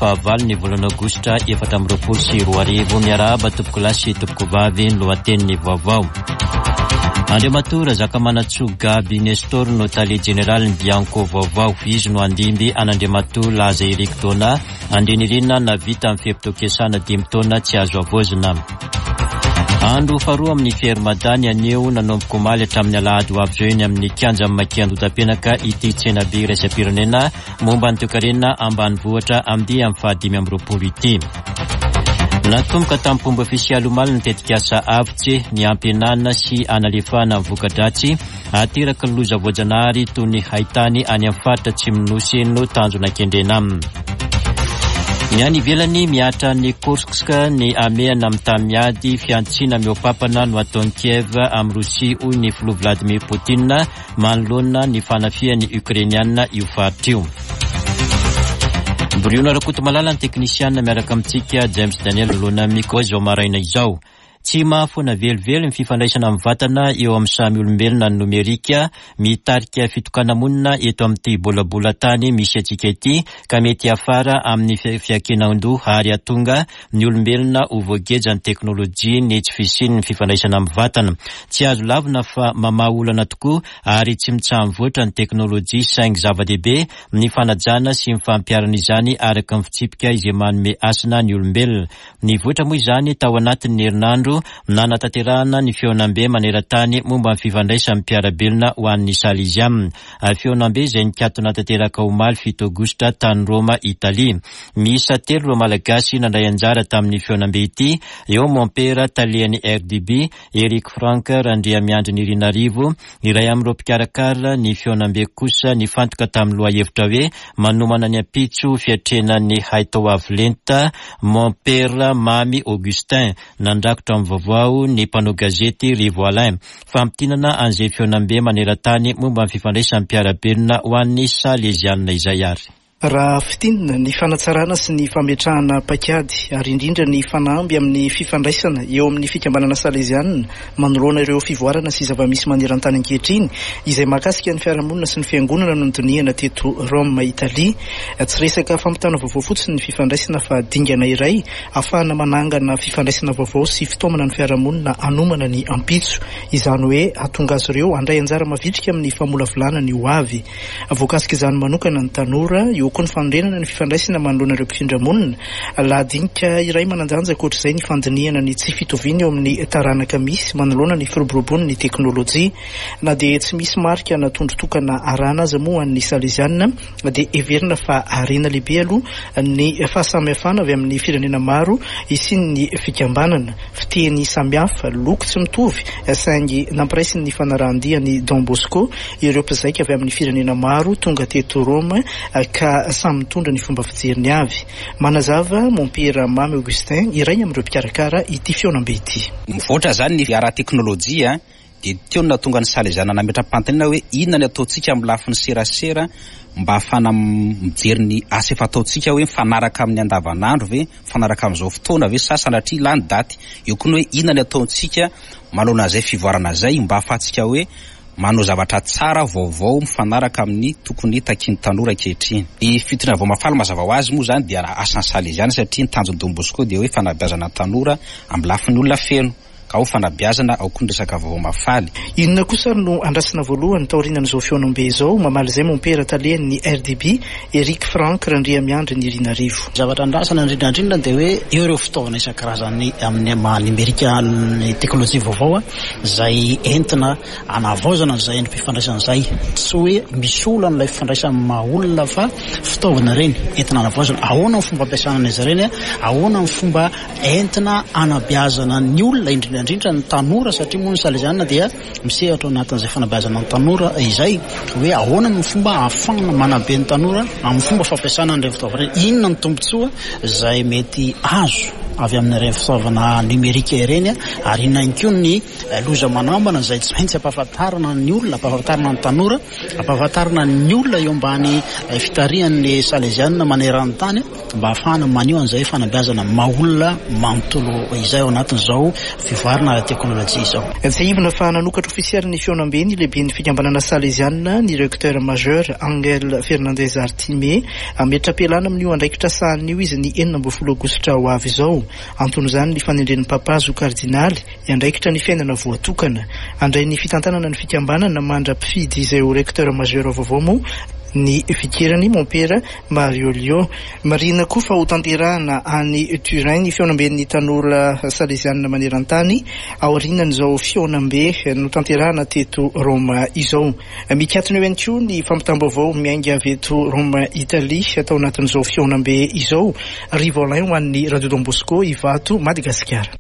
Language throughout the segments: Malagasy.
Fahavalo ny volana aogositra 2024. Miarahaba tompokolahy sy tompokovavy ny lohatenin'ny vaovao. Andriamatoa Razakamanantsoa Gaby Nestor no tale jeneralin'ny Bianco vaovao. Izy no handimby an'Andriamatoa Laza Eric Dona Andrianirina nahavita ny fe-potoam-piasana dimy taona tsy azo havaozina. Andro faharoa amin'ny Fier-Mada ny anio nanomboka omaly hatramin'ny alahady ho avy izao eny amin'ny kianjan'ny Maki Andotapenaka ity tsenabe iraisam-pirenena momba ny toekarena ambanivohitra andiany faha-25 ity. Natomboka tamin'ny fomba ofisialy omaly ny tetikasa Avotse, ny hampihenana sy hanalefahana ny voka-dratsy ateraky ny loza voajanahary toy ny haitany any amin'ny faritra atsimon'ny Nosy no tanjona kendrena aminy. Ny any ivelany, mihatra any Kursk ny hamehana amin'ny tany miady, fihantsiana mihoa-papana no ataon'i Kiev amin'i Rosia, hoy ny filoha Vladimir Poutine manoloana ny fanafihan'ny Ukrainiana io faritra io. Briona Rakotomalala ny teknisiana miaraka amintsika James Daniel Lona Micro izao maraina izao. Tsy mahafoana velively ny fifandraisana mivantana eo amin'ny samy olombelona ny nomerika, mitarika fitokana-monina eto amin'ity bolabolan-tany misy antsika ity ka mety hiafara amin'ny fiankinan-doha ary hahatonga ny olombelona ho voagejan'ny teknolojia ny tsy fisian'ny fifandraisana mivantana. Tsy azo lavina fa mamaha olana tokoa ary tsy mitsaha-mivoatra ny teknolojia saingy zava-dehibe ny fanajana sy ny fampiharana izany araka ny fitsipika izay manome hasina ny olombelona. Nivoitra moa izany tao anatin'ny herinandro nanatanterahana ny fihaonambe maneran-tany momba ny fifandraisan'ny mpiara-belona ho an'ny Salesiana. Fihaonambe izay nikatona tanteraka omaly fito aogositra tany Roma, Italia. Miisa telo ireo Malagasy nandray anjara tamin'ny fihaonambe ity, eo Mompera talehan'ny RDB, Eric Frank Randriamiandry Nirinarivo, iray amin'ireo mpikarakara ny fihaonambe kosa nifantoka tamin'ny lohahevitra hoe Manomana ny ampitso fiatrehana ny haitao avo lenta, Mompera Mamy Augustin. Nandrakotra ny vaovao ny mpanao gazety Rivo Alain. Famintinana an'izay fihaonambe maneran-tany momba ny fifandraisan'ny mpiara-belona ho an'ny Salezianina izay ary. Raha fintinina, ny fanatsarana sy ny fametrahana paikady ary indrindra ny fanamby amin'ny fifandraisana eo amin'ny fikambanana salezianina manoloana ireo fivoarana sy zava-misy maneran-tany ankehitriny izay mahakasika ny fiarahamonina sy ny fiangonana no nodinihana teto Rome, Italia. Tsy resaka fampitana vaovao fotsiny ny fifandraisana fa dingana iray ahafahana manangana fifandraisana vaovao sy fitaomana ny fiarahamonina hanomana ny ampitso. Izany hoe hahatonga azy ireo handray anjara mavitrika amin'ny famolavolana ny ho avy. Voakasik'izany manokana ny tanora, eo koa ny fanorenana ny fifandraisana manoloana ireo mpifindra monina. Lahadinika iray manan-danja ankoatr'izay ny fandinihana ny tsy fitoviana eo amin'ny taranaka misy manoloana ny firoboroboan'ny teknolojia. Na dia tsy misy marika na tondro tokana arahana aza moa ho an'ny Saleziana dia heverina fa harena lehibe aloha ny fahasamihafana avy amin'ny firenena maro hisian'ny fikambanana. Fiteny samihafa, loko tsy mitovy saingy nampiraisin'ny fanarahan-dia an'i Don Bosco ireo mpizaika avy amin'ny firenena maro tonga teto Roma ka samy mitondra ny fomba fijeriny avy. Manazava Mompera Mamy Augustin, iray amin'ireo mpikarakara ity fihaonambe ity. Mivoatra izany ny ara-teknolojia dia teo no nahatonga ny Salesiana nametra-panontaniana hoe inona ny ataontsika amin'ny lafiny serasera mba hahafahana mijery ny asa efa ataontsika hoe mifanaraka amin'ny andavanandro ve, mifanaraka amin'izao fotoana ve sa sanatria lany daty. Eo koa ny hoe inona ny ataontsika manoloana izay fivoarana izay mba hahafahantsika hoe manao zavatra tsara, vaovao, mifanaraka amin'ny tokony takian'ny tanora ankehitriny. Ny fitoriana vao mahafaly mazava ho azy moa izany dia asan'ny Saleziana satria ny tanjon'i Don Bosco dia hoe fanabeazana ny tanora amin'ny lafiny olona feno. Ka ao fanabeazana, ao koa ny resaka vaovao mahafaly. Inona kosa ary no andrasana voalohany taorianan'izao fihaonambe izao? Mamaly izay Mompera talen'ny RDB, Eric Franck Randriamiandry Nirinarivo. Ny zavatra andrasana indrindra indrindra dia hoe eo ireo fitaovana isan-karazany amin'ny maha nimerika ny teknolojia vaovao izay entina hanavaozana an'izay endri-pifandraisana izay. Tsy hoe misolo an'ilay fifandraisana amin'ny maha olona fa fitaovana ireny entina hanavaozana. Ahoana ny fomba ampiasana an'izy ireny? Ahoana ny fomba entina hanabeazana ny olona, indrindra indrindra ny tanora satria moa ny Salesiana dia misehatra ao anatin'izay fanabeazana ny tanora izay, hoe ahoana ny fomba ahafahana manabe ny tanora amin'ny fomba fampiasana an'ireny fitaovana ireny, inona ny tombontsoa izay mety azo. avy amin'ireny fitaovana nomerika ireny ary inona ihany koa ny loza manambana izay tsy maintsy ampahafantarina ny olona, ampahafantarina ny tanora, ampahafantarina ny olona eo ambany fitarihan'ny Salezianina maneran-tany mba hahafahana maneho an'izay fanabeazana maha olona manontolo izay ao anatin'izao fivoarana ara-teknolojia izao. Tsiahivina fa nanokatra ofisialy ny fihaonambe ny lehiben'ny fikambanana Salezianina, ny Recteur Majeur Angel Fernandez Artime. Hametra-pialana amin'io andraikitra sahaniny io izy ny 16 aogositra ho avy izao. Anton'izany ny fanendren'ny Papa azy ho kardinaly hiandraikitra ny fiainana voatokana. Handray ny fitantanana ny fikambanana mandra-pifidy izay ho Recteur Majeur vaovao moa ny vikerany Mompera Mario Lio. Marihina koa fa hotanterahana any Turin ny fihaonamben'ny tanora salezianina maneran-tany aorianan'izao fihaonambe notanterahana teto Roma izao. Mikatona eo ihany koa ny fampitam-baovao miainga avy eto Roma Italie tao anatin'izao fihaonambe izao. Rivo Alain ho an'ny Radio Don Bosco Ivato, Madagasikara.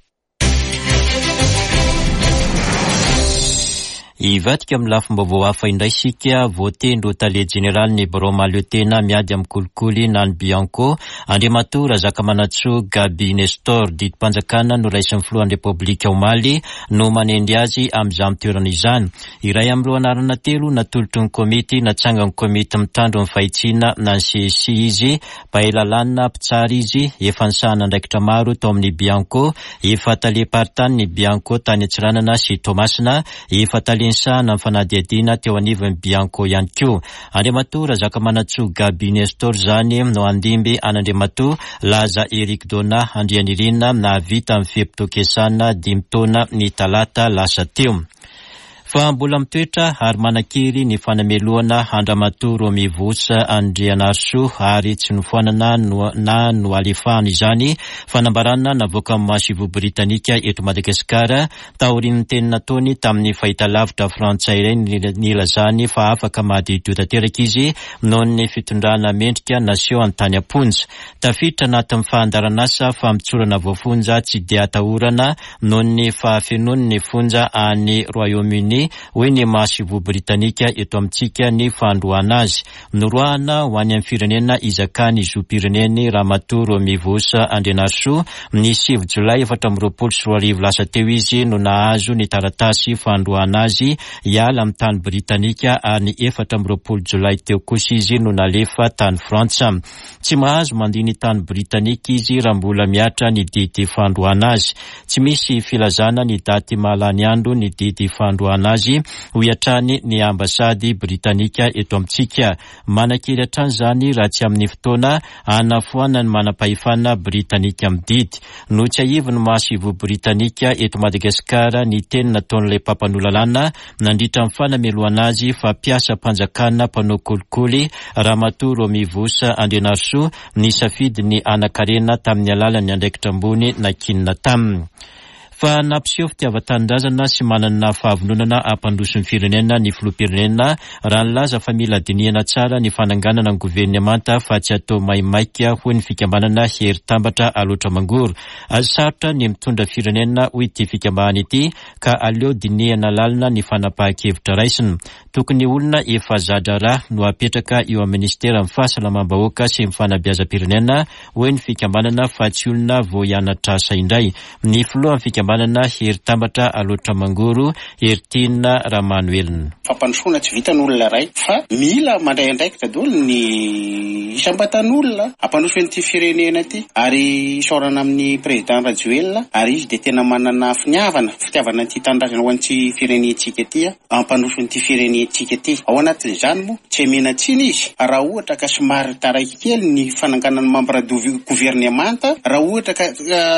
Hivadika amin'ny lafim-baovao hafa indray isika, voatendry ho tale jeneralin'ny birao mahaleotena miady amin'ny kolikoly na ny Bianco, Andriamatoa Razakamanantsoa Gaby Nestor. Didim-panjakana noraisin'ny filohan'ny Repoblika omaly no manendry azy amin'izany toerana izany. Iray amin'ireo anarana telo natolotry ny komity natsangan'ny komity mitandro ny fahitsiana na ny CSI izy Mpahay lalàna, mpitsara izy, efa nisahana andraikitra maro tao amin'ny Bianco, efa talem-paritanin'ny Bianco tany Antsiranana sy Toamasina, efa tale nisahana ny fanadihadiana teo anivon'ny Bianco ihany koa. Andriamatoa Razakamanantsoa Gaby Nestor izany no handimby an'Andriamatoa Laza Eric Donat Andrianirina nahavita ny fe-potoam-piasana dimy taona ny talata lasa teo. Fa mbola mitoetra ary manan-kery ny fanamelohana an-dRamatoa Romy Voos Andrianarisoa ary tsy nofoanana na noalefahana izany fanambarana navoakan'ny masoivoho britanika eto Madagasikara taorian'ny teny nataony tamin'ny fahitalavitra frantsay iray nilazany fa afaka madiodio tanteraka izy noho ny fitondrana mendrika nasehony tany am-ponja. Tafiditra anatin'ny fandaharanasa famotsorana voafonja tsy dia atahorana noho ny fahafenoany ny fonja any Royaume-Uni, hoy ny masoivoho britanika eto amintsika ny fandroahana azy. Noroahana ho any amin'ny firenena izakany zom-pireneny Ramatoa Romy Voos Andrianarisoa, ny sivy jolay 2024 lasa teo izy no nahazo ny taratasy fandroahana azy hiala amin'ny tany britanika ary ny 24 jolay teo kosa izy no nalefa tany Frantsa. Tsy mahazo mandia ny tany Britanika izy raha mbola mihatra ny didy fandroahana azy. Tsy misy filazana ny daty mahalany andro ny didy fandroahana azy, hoy hatrany ny ambasady Britanika eto amintsika. Manan-kery hatrany izany raha tsy amin'ny fotoana hanafoanan'ny manam-pahefana Britanika amin'ny didy. Notsiahivin'ny masoivoho Britanika eto Madagasikara ny teny nataon'ilay mpampanoa lalàna nandritra ny fanamelohana azy fa mpiasam-panjakana mpanao kolikoly Ramatoa Romy Voos Andrianarisoa nisafidy ny hanan-karena tamin'ny alalan'ny andraikitra ambony nankinina taminy. Fa nampiseho fitiavan-tanindrazana sy manana fahavononana hampandroso ny firenena ny filoham-pirenena raha nilaza fa mila dinihana tsara ny fananganana ny governemanta fa tsy atao maimaika hoy ny fikambanana Hery Tambatra Alaotra Mangoro. Sarotra ny mitondra firenena hoy ity fikambanana ity ka aleo dinihana lalina ny fanapahan-kevitra raisina. Tokony olona efa za-draharaha no apetraka eo amin'ny minisiteran'ny Fahasalamam-bahoaka sy ny Fanabeazam-pirenena, hoy ny fikambanana fa tsy olona vao hianatra asa indray. Ny filohan'ny fikambanana Hery Tambatra Alaotra Mangoro, Heritiana Ramanoelina. Fampandrosoana tsy vitan'ny olona iray fa mila mandray andraikitra daholo ny isam-batan'olona hampandroso an'ity firenena ity ary isaorana amin'ny Président Rajoelina ary izy dia tena manana finiavana, fitiavana an'ity tanindrazana ho an'ity firenentsika ity hampandroso an'ity firenentsika ity. Ao anatin'izany moa tsy amena tsiny izy raha ohatra ka somary taraiky kely ny fananganana membre du gouvernemanta, raha ohatra ka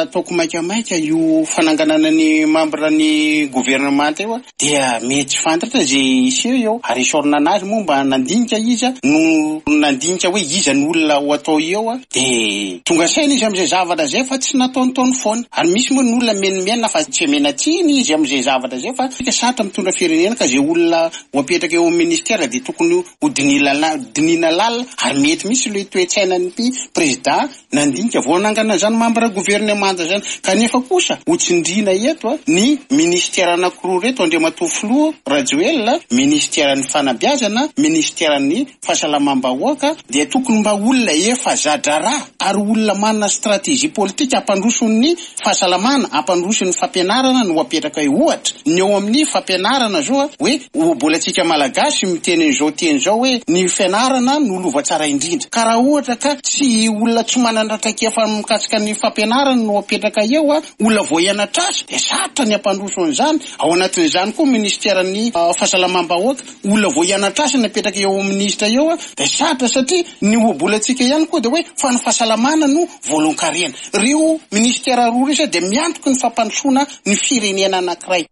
ataoko maikamaika io fananganana ny membre ny gouvernemanta io dia mety tsy fantatra izay hiseho eo, ary esorina anazy moa mba nandinika izy no nandinika hoe iza ny olona ho atao eo dia tonga saina izy amin'izay zavatra izay fa tsy nataontaony foana, ary misy moa ny olona mimenomenona fa tsy omena tsiny izy amin'izay zavatra izay fa sarotra mitondra firenena ka izay olona ho apetraka eo amin'ny ministera dia tokony ho dinihina lalina ary mety mihitsy ilay toe-tsainan'ity président nandinika vao hanangana izany membre gouvernemanta izany kanefa kosa ho tsindriana. tsindriana eto ny ministera anankiroa ireto Andriamatoa Filoha Rajoelina, ministeran'ny fanabeazana, ministeran'ny fahasalamam-bahoaka dia tokony mba olona efa za-draharaha ary olona manana stratégie politique hampandroso ny fahasalamana, hampandroso ny fampianarana no apetraka eo. Ohatra, ny eo amin'ny fampianarana zao hoe ohabolantsika Malagasy miteny an'izao teny izao hoe ny fianarana no lova tsara indrindra. Ka raha ohatra ka tsy olona tsy manana traikefa mikasika ny fampianarana no apetraka eo, olona vao hianatra asa dia sarotra ny hampandroso an'izany. Ao anatin'izany koa ministeran'ny fahasalamam-bahoaka. Olona vao hianatra asa ny apetraka eo amin'ny minisitra eo dia sarotra satria ny ohabolantsika ihany koa dia hoe fa ny fahasalamana no voalohan-karena. Ireo minisitera roa ireo izay dia miantoky ny fampandrosoana ny firenena anankiray.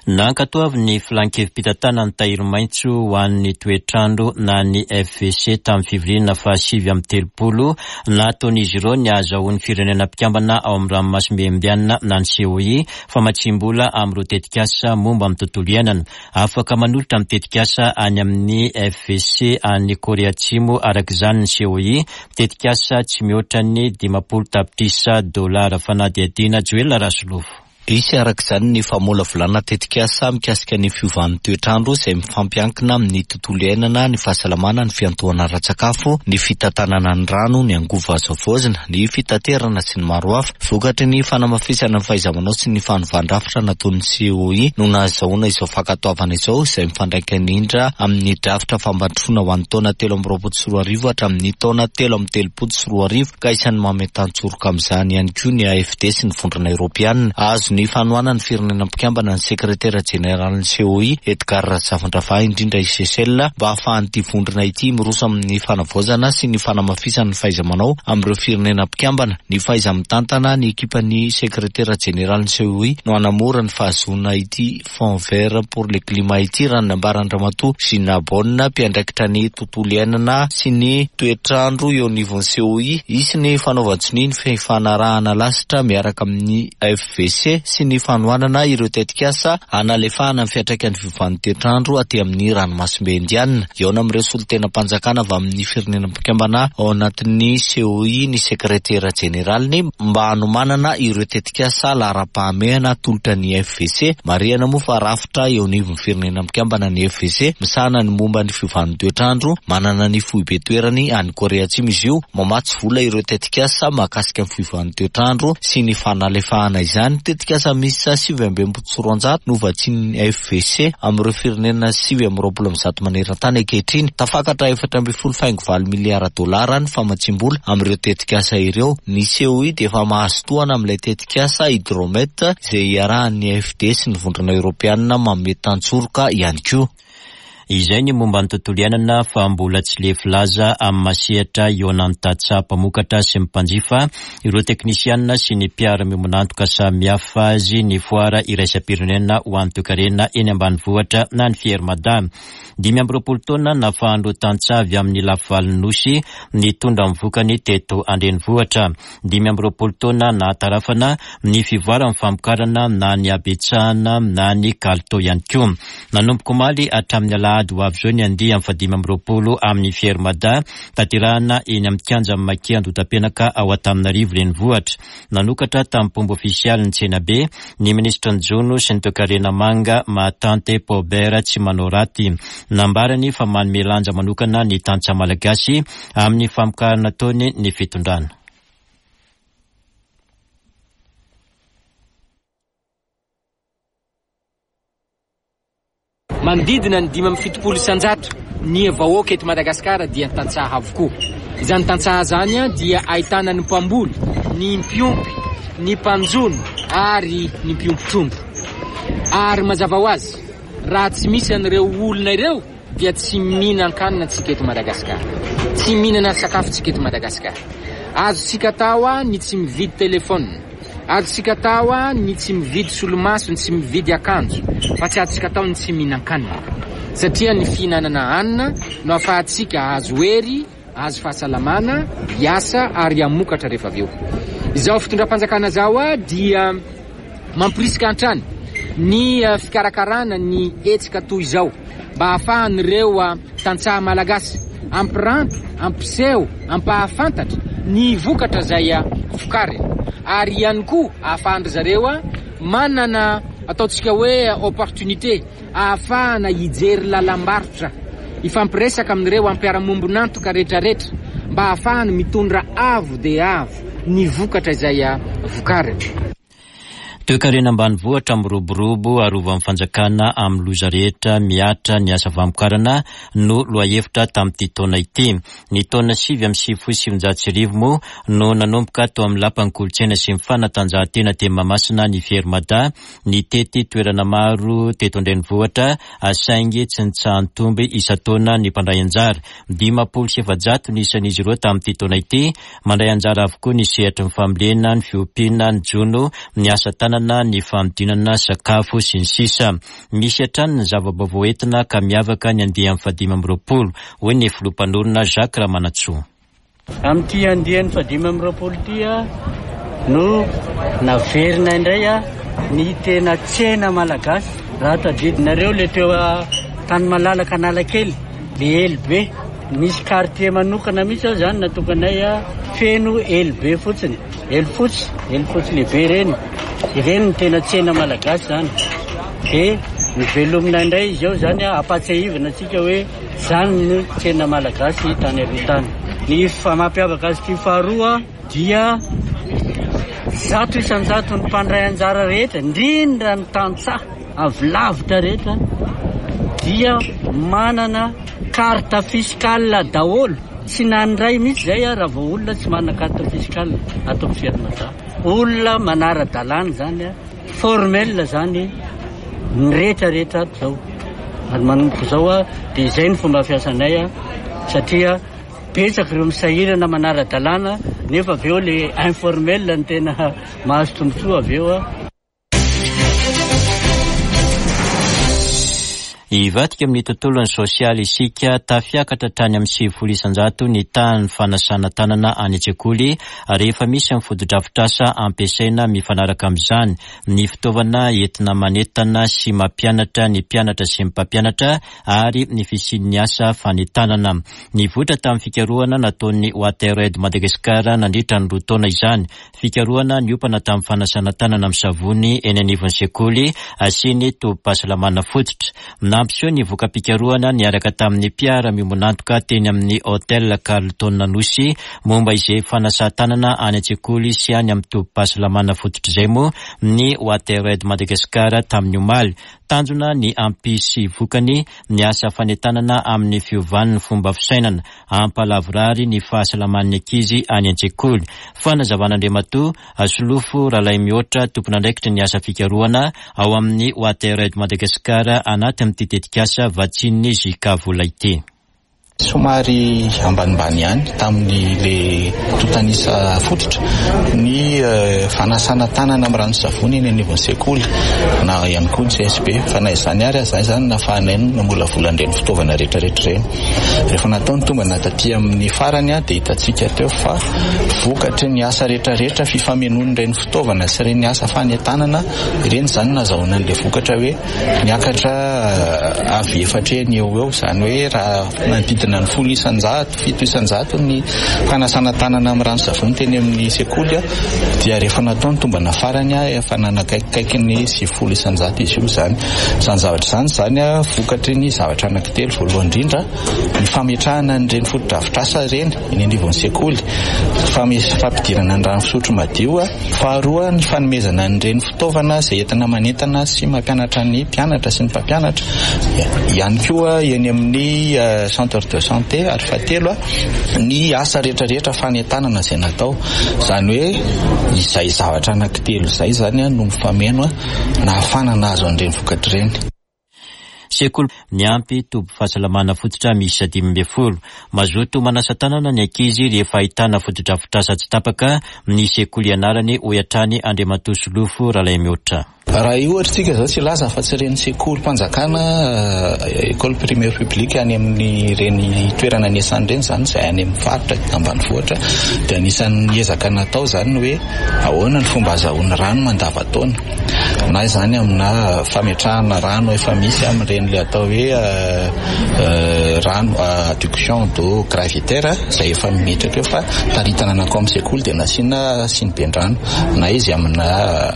Nankatoavin'ny Filankevi-pitantanan'ny Tahiry Maitso ho an'ny Toetr'andro na ny FVC tamin'ny fivoriana faha 39 nataon'izy ireo ny hahazahoan'ny firenena mpikambana ao amin'ny Ranomasimbe Indiana na ny COI famatsiam-bola amin'ireo tetikasa momba ny tontolo iainana. Afaka manolotra ny tetikasa any amin'ny FVC any Korea Atsimo araka izany ny COI, tetikasa tsy mihoatra ny 50 tapitrisa dolara. Fanadihadiana Joela Rasolofo. Hisy araka izany ny famolavolana tetikasa mikasika ny fiovan'ny toetr'andro izay mifampiankina amin'ny tontolo iainana, ny fahasalamana, ny fiantohana ara-tsakafo, ny fitantanana ny rano, ny angovo azo havaozina, ny fitaterana sy ny maro hafa. Vokatry ny fanamafisana ny fahaiza-manao sy ny fanovan-drafitra nataon'ny COI no nahazahoana izao fankatoavana izao, izay mifandraika indrindra amin'ny drafitra fampandrosoana ho an'ny taona 2023 hatramin'ny taona 2033, ka isan'ny mametan-tsoroka amin'izany ihany koa ny AFD sy ny Vondrona Eoropeana. Azo ny fanohanan'ny firenena mpikambana ny sekretera jeneralin'ny COI, Edgard Razafindravahy, indrindra i Seychelles, mba hahafahan'ity vondrona ity miroso amin'ny fanavaozana sy ny fanamafisana ny fahaiza-manao amin'ireo firenena mpikambana. Ny fahaiza-mitantana ny ekipan'ny sekretera jeneralin'ny COI no hanamora ny fahazoana ity Fonds vert pour le climat ity, raha ny nambaran-dRamatoa Gina Bonne, mpiandraikitra ny tontolo iainana sy ny toetr'andro eo anivon'ny COI. Hisy ny fanaovan-tsonia ny fifanarahana lasitra miaraka amin'ny FVC sy ny fanohanana ireo tetikasa hanalefahana ny fiantraikan'ny fiovan'ny toetr'andro aty amin'ny ranomasimbe Indiana. Hihaona amin'ireo solontenam-panjakana avy amin'ny firenena mpikambana ao anatin'ny COI ny sekretera jeneraliny mba hanomanana ireo tetikasa laharam-pahamehana atolotra ny FVC. Marihana moa fa rafitra eo anivon'ny firenena mikambana ny FVC misahana ny momba ny fiovan'ny toetr'andro. Manana ny foibe toerany any Korea Atsimo izy io. Mamatsy vola ireo tetikasa mahakasika ny fiovan'ny toetr'andro sy ny fanalefahana izany. Tetikasa miisa 269 no vatsian'ny FVC amin'ireo firenena 129 maneran-tany ankehitriny. Tafakatra 14 faingo valo miliara dolara ny famatsiam-bola amin'ireo tetikasa ireo. Ny COI dia efa mahazo tohana amin'ilay tetikasa Hydromet izay iarahan'ny AFD sy ny Vondrona Eoropeanina manome tantsoroka ihany koa. Izay ny momba ny tontolo iainana fa mbola tsy lefy laza amin'ny masehatra ihaonan'ny tantsaha mpamokatra sy ny mpanjifa, ireo teknisianina sy ny mpiara-miombon'antoka samihafa azy ny foara iraisam-pirenena ho an'ny toekarena eny ambanivohitra na ny Fier Mada. 25 taona nahafahan'ireo tantsaha avy amin'ny lafivalin'ny Nosy nitondra ny vokany teto an-drenivohitra. 25 taona nahatarafana ny fivoaran'ny famokarana na ny habetsahana na ny kalitao ihany koa. Nanomboka omaly hatramin'ny alahady ho avy izao ny andiany fahadimy amby roapolo amin'ny Fier Mada, tanterahana eny amin'ny kianjan'ny Maki Andohatapenaka ao Antananarivo Renivohitra. Nanokatra tamim-pomba ofisialy ny tsenabe ny minisitry ny Jono sy ny Toekarena Manga Mahatante Paubert Tsimanaoraty. Nambarany fa manome lanja manokana ny tantsaha malagasy amin'ny famokarana ataony ny fitondrana. Manodidina ny 75% ny vahoaka eto Madagasikara dia tantsaha avokoa. Izany tantsaha izany dia ahitana ny mpamboly, ny mpiompy, ny mpanjono ary ny mpiompy trondro. Ary mazava ho azy, raha tsy misy an'ireo olona ireo dia tsy mihinan-kanina tsika eto Madagasikara. Tsy mihinana sakafo tsika eto Madagasikara. Azontsika atao ny tsy mividy telefaonina. Azontsika atao ny tsy mividy solomaso, ny tsy mividy akanjo, fa tsy azontsika atao ny tsy mihinan-kanina. Satria ny fihinanana hanina no ahafahantsika hahazo hery, hahazo fahasalamana, hiasa ary hamokatra rehefa avy eo. Izao fitondram-panjakana izao dia mamporisika hatrany ny fikarakarana ny hetsika toy izao mba hahafahan'ireo tantsaha malagasy hampiranty, hampiseho, hampahafantatra ny vokatra izay vokariny ary ihany koa ahafahan-dry zareo manana ataontsika hoe opportunité ahafahana hijery lalam-barotra, hifampiresaka amin'ireo mpiara-mombon'antoka rehetrarehetra mba ahafahany mitondra avo dia avo ny vokatra izay vokariny. Toekarena ambanivohitra miroborobo arovan'ny fanjakana amin'ny loza rehetra mihatra ny asa famokarana no lohahevitra tamin'ity taona ity. Ny taona 1999 moa no nanomboka tao amin'ny Lapan'ny Kolontsaina sy ny Fanatanjahantena teny Mahamasina ny Fier Mada nitety toerana maro teto an-drenivohitra saingy tsy nitsaha-nitombo isan-taona ny mpandray anjara. 450 ny isan'izy ireo tamin'ity taona ity. Mandray anjara avokoa ny sehatry ny fambolena, ny fiompiana, ny jono, ny asa tanana, ny fanodinana sakafo, sy ny sisa Misy hatrany ny zava-baovao entina ka miavaka ny andiany fahadimy amby roapolo, hoy ny filoha mpanorina Jacques Ramanantsoa. Amin'ity andiany fahadimy amby roapolo ity no naverina indray ny tena tsena malagasy. Raha tadidinareo le teo tany malalaka Analakely, le elo be, nisy quartier manokana mihitsy ao zany natokanay feno elo be fotsiny, elo fotsy, elo fotsy lehibe ireny. Ireny no tena tsena malagasy zany. Dia novelomina indray izy ao zany, ampahatsiahivina antsika hoe Izany no tsena malagasy tany aloha tany. Ny mampiavaka azy ity faharoa dia 100% ny mpandray anjara rehetra, indrindra ny tantsaha avy lavitra rehetra dia manana carte fiscale daholo. Tsy nandray mihitsy izay raha vao olona tsy manana carte fiscale ato amin'ny Fier Mada. Olona manara-dalàna izany. Formel zany ny rehetra rehetra ato zao ary manomboka izao dia izay ny fomba fiasanay satria betsaka ireo misahirana manara-dalàna nefa avy eo le informel no tena mahazo tombontsoa avy eo. Hivadika amin'ny tontolon'ny sosialy isika, tafiakatra hatrany amin'ny 90% ny tahan'ny fanasana tanana any an-tsekoly rehefa misy ny fotodrafitrasa ampiasaina mifanaraka amin'izany, ny fitaovana entina manentana sy mampianatra ny mpianatra sy ny mpampianatra ary ny fisian'ny asa fanentanana. Nivoitra tamin'ny fikarohana nataon'ny WaterAid Madagascar nandritra ny roa taona izany. Fikarohana niompana tamin'ny fanasana tanana amin'ny savony eny anivon'ny sekoly sy ny tobim-pahasalamana fototra. Nampiseho ny voka-pikarohana niaraka tamin'ny mpiara-miombon'antoka teny amin'ny Hotel Carlton Anosy momba izay fanasan-tanana any an-tsekoly sy any amin'ny tobim-pahasalamana fototra izay moa ny WaterAid Madagascar tamin'ny omaly. Tanjona ny hampisy vokany ny asa fanentanana amin'ny fiovan'ny fomba fisainana. hampalavorary ny fahasalaman'ny ankizy any an-tsekoly. Fanazavan'Andriamatoa Solofo Ralaimihoatra, tompon'andraikitry ny asa fikarohana ao amin'ny WaterAid Madagascar anatin'ity tetikasa vatsian'ny JK vola ity. Somary ambanimbany ihany tamin'ny le antontan'isa fototra ny fanasana tanana amin'ny rano sy savony eny anivon'ny sekoly na ihany koa ny CSB fa na izany ary aza izany nahafahanay namolavola an'ireny fitaovana rehetrarehetra ireny. Rehefa natao ny tombana taty amin'ny farany dia hitantsika teo fa vokatry ny asa rehetrarehetra fifamenoan'ireny fitaovana sy ireny asa fanentanana ireny izany nazahoana an'ilay vokatra hoe niakatra avy efatra eny eo ho eo, izany hoe raha manodidina ny 10%, 7% ny fanasana tanana amin'ny rano savony teny amin'ny sekoly dia rehefa natao ny tombana farany efa nanakaikikaiky ny 90% izy io izany. Izany zavatra izany izany vokatry ny zavatra anankitelo. Voalohany indrindra, ny fametrahana an'ireny fotodrafitrasa ireny eny anivon'ny sekoly, fampidirana ny rano fisotro madio. Faharoa, ny fanomezana an'ireny fitaovana izay entina manentana sy mampianatra ny mpianatra sy ny mpampianatra ihany koa eny amin'ny centre de santé. Ary fahatelo, ny asa rehetrarehetra fanentanana izay natao. Izany hoe izay zavatra anankitelo izay izany no mifameno nahafahana nahazo an'ireny vokatra ireny. Sekoly miampy toby fahasalamana fototra miisa 15. Mazoto manasa tanana ny ankizy rehefa ahitana fotodrafitrasa tsy tapaka ny sekoly ianarany, hoy hatrany Andriamatoa Solofo Ralaimihoatra. Raha ohatra isika izao tsy hilaza afa-tsy ireny sekolim-panjakana, école primaire publique, any amin'ireny toerana niasana ireny izany, izay any amin'ny faritra ambanivohitra, dia anisan'ny ezaka natao izany ny hoe ahoana ny fomba azahoany rano mandavantaona. na izany amina fametrahana rano efa misy amin'ireny ilay atao hoe rano adduction d'eau gravitaire izay efa mimetraka eo fa taritana nankao amin'ny sekoly dia nasiana siniben-drano na izy amina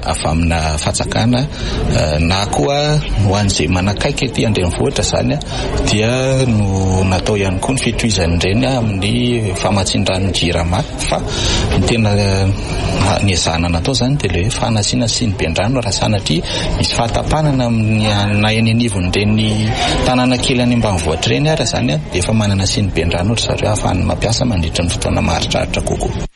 avy amina fatsakana na koa ho an'izay manakaiky aty an-drenivohitra izany dia no natao ihany koa ny fitohizan'ireny amin'ny famatsian-drano Jirama fa ny tena niezahana natao izany dia ilay hoe fanasiana siniben-drano raha sanatria misy fahatapanana amin'ny na eny anivon'ireny tanàna kely any ambanivohitra ireny ary izany dia efa manana siniben-drano ry zareo ahafahany mampiasa mandritra ny fotoana maharitraritra kokoa.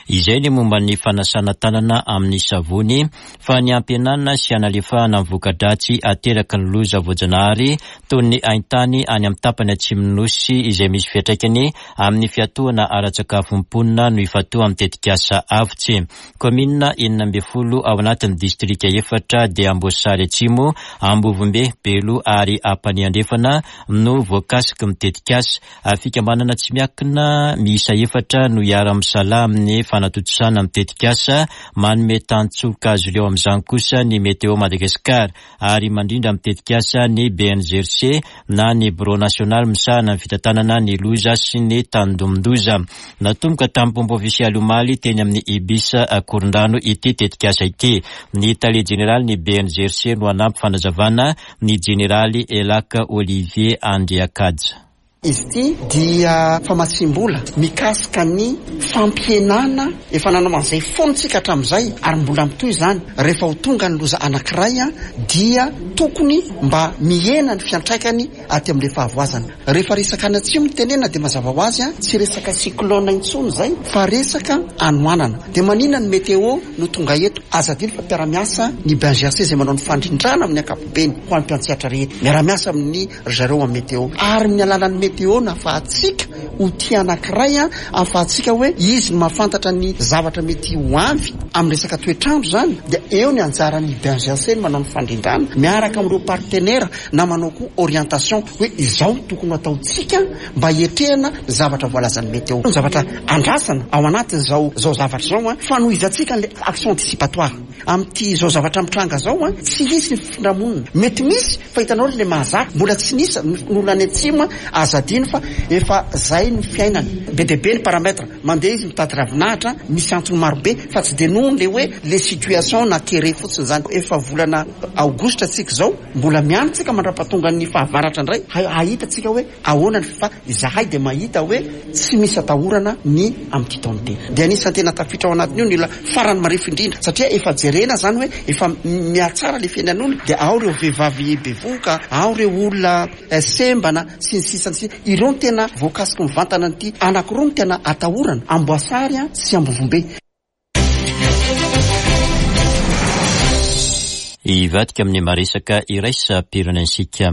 Izay ny momba ny fanasana tanana amin'ny savony fa ny hampihenana sy hanalefahana ny voka-dratsy ateraky ny loza voajanahary toy ny haintany any amin'ny tapany atsimon'ny Nosy izay misy fiantraikany amin'ny fiatohana ara-tsakafon'ny mponina no ifantohan'ny tetikasa Avotsy. Kaominina 16 ao anatin'ny distrika efatra dia Amboasary Atsimo, Ambovombe, Belo ary Ampanihy Andrefana no voakasiky ny tetikasa. Fikambanana tsy miankina miisa efatra no hiara-misalahy amin'ny fanatontosana ny tetikasa. Manome tantsoroka azy ireo amin'izany kosa ny Météo Madagascar ary mandrindra amin'ny tetikasa ny BNGRC na ny Birao nasionaly misahana ny fitantanana ny loza sy ny tandindomin-doza. Natomboka tamin'ny pomba ofisialy omaly teny amin'ny Ibis Ankorondrano ity tetikasa ity. Ny tale jeneralin'ny BNGRC no hanampy fanazavana ny jeneraly Elack Olivier Andriakaja. Izy ity dia famatsiam-bola mikasika ny fampihenana, efa nanao an'izay foana isika hatramin'izay ary mbola mitohy izany, rehefa ho tonga ny loza anankiray dia tokony mba mihena ny fiantraikany aty amin'ilay fahavoazana. Rehefa resaka any atsimo no tenenina dia mazava ho azy tsy resaka cyclone intsony izay fa resaka hanoanana. Dia maninona ny météo no tonga eto? Aza adino fa mpiara-miasa ny BNGRC izay manao ny fandrindrana amin'ny ankapobeny ho an'ny mpiantsehatra rehetra. Miara-miasa amin'ny ry zareo amin'ny météo. Ary amin'ny alalan'ny météo no ahafahantsika ho tia anankiray, ahafahantsika hoe izy no mahafantatra ny zavatra mety ho avy amin'ny resaka toetr'andro izany. Dia eo ny anjaran'ny BNGRC ny manao ny fandrindrana miaraka amin'ireo partenaires na manao koa orientation hoe izao no tokony ho ataontsika mba hiatrehana ny zavatra voalazan'ny météo. Ny zavatra andrasana ao anatin'izao izao zavatra izao, fanohizantsika an'ilay action anticipatoire. Amin'ity izao zavatra mitranga izao, tsy hisy ny fifindramonina. Mety misy fa hitanao ry le mahazaka, mbola tsy nisy ny olona any atsimo, aza adino fa efa zay ny fiainany. Be dia be ny paramètre, mandeha izy mitady ravinahitra, misy antony maro be fa tsy dia noho le hoe le situation na kere fotsiny zany. Efa volana aogositra tsika izao, mbola miandry tsika mandrapatongan'ny fahavaratra indray hahita tsika hoe Ahoana ny fa izahay dia mahita hoe tsy misy atahorana ny amin'ity taona ity. Dia anisan'ny tena tafiditra ao anatin'io ny olona farany marefo indrindra satria efa jerena izany hoe efa mihatsara ilay fiainan'olona dia ao ireo vehivavy bevohoka, ao ireo olona sembana sy ny sisa sy ny sisa. Ireo no tena voakasiky mivantana an'ity. Anankiroa no tena atahorana, Amboasary sy Ambovombe. Hivadika amin'ny maresaka iraisam-pirenensika.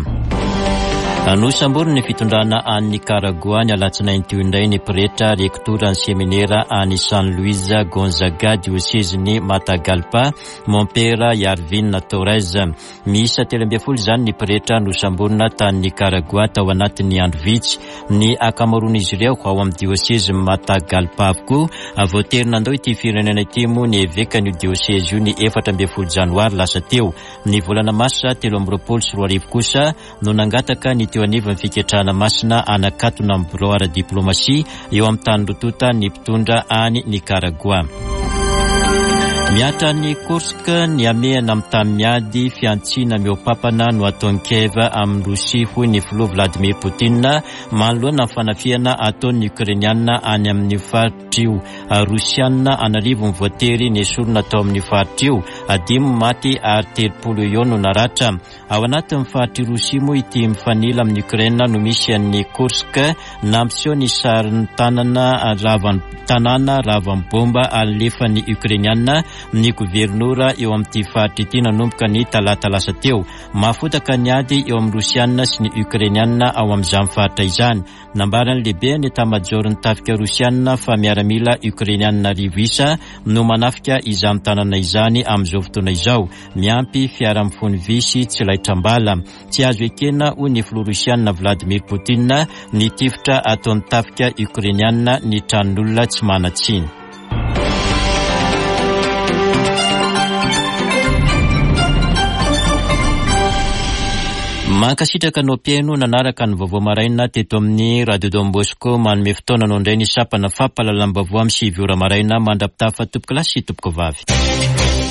Nosamborin'ny fitondrana any Nikaragoà ny alatsinainy teo indray ny pretra rektoran'ny seminera any San Luis Gonzaga, diosezin'i Matagalpa, Mompera Yarvin Torres. Miisa 13 izany ny pretra nosamborina tany Nikaragoà tao anatin'ny andro vitsy. Ny ankamaroan'izy ireo ao amin'ny diosezin'i Matagalpa avokoa. Voatery nandao ity firenena ity moa ny evekan'io diosezy io ny 14 janoary lasa teo. Ny volana marsa 2023 kosa no nangataka ny teo anivon'ny fiketrahana masina hanakatona ny birao ara-diplaomasia eo amin'ny tany roa tonta ny mpitondra any Nikaragoà. Mihatra any Kursk ny hamehana amin'ny tany miady, fihantsiana mihoa-papana no ataon'i Kiev amin'i Rosia, hoy ny filoha Vladimir Putin manoloana ny fanafihana ataon'ny Ukrainiana any amin'io faritra io. Rosiana an'arivony voatery nesorina tao amin'io faritra io, dimy maty ary 30 eo no naratra. Ao anatin'ny faritr'i Rosia moa ity mifanila amin'i Ukraine no misy an'i Kursk, nampiseho ny sarin'ny tanana ravan'ny tanàna ravan'ny bomba alefan'ny Ukrainiana ny governora eo amin'ity faritra ity nanomboka ny talata lasa teo. Mahafotaka ny ady eo amin'ny Rosiana sy ny Ukrainiana ao amin'izany faritra izany. Nambaran'ny lehiben'ny etamajaoron'ny tafika rosiana fa miaramila Ukrainiana 1000 isa no manafika izany tanàna izany amin'izao fotoana izao, miampy fiara mifono vy sy tsy laitram-bala. Tsy azo ekena, hoy ny filoha rosiana Vladimir Putin, ny tifitra ataon'ny tafika Ukrainiana ny tranon'olona tsy manan-tsiny. Mankasitraka anao mpihaino nanaraka ny vaovao maraina teto amin'ny Radio Don Bosco. Manome fotoana anao indray ny sampana fampahalalam-baovao amin'ny 9 ora maraina mandra-pitafa tompokolahy sy tompokovavy.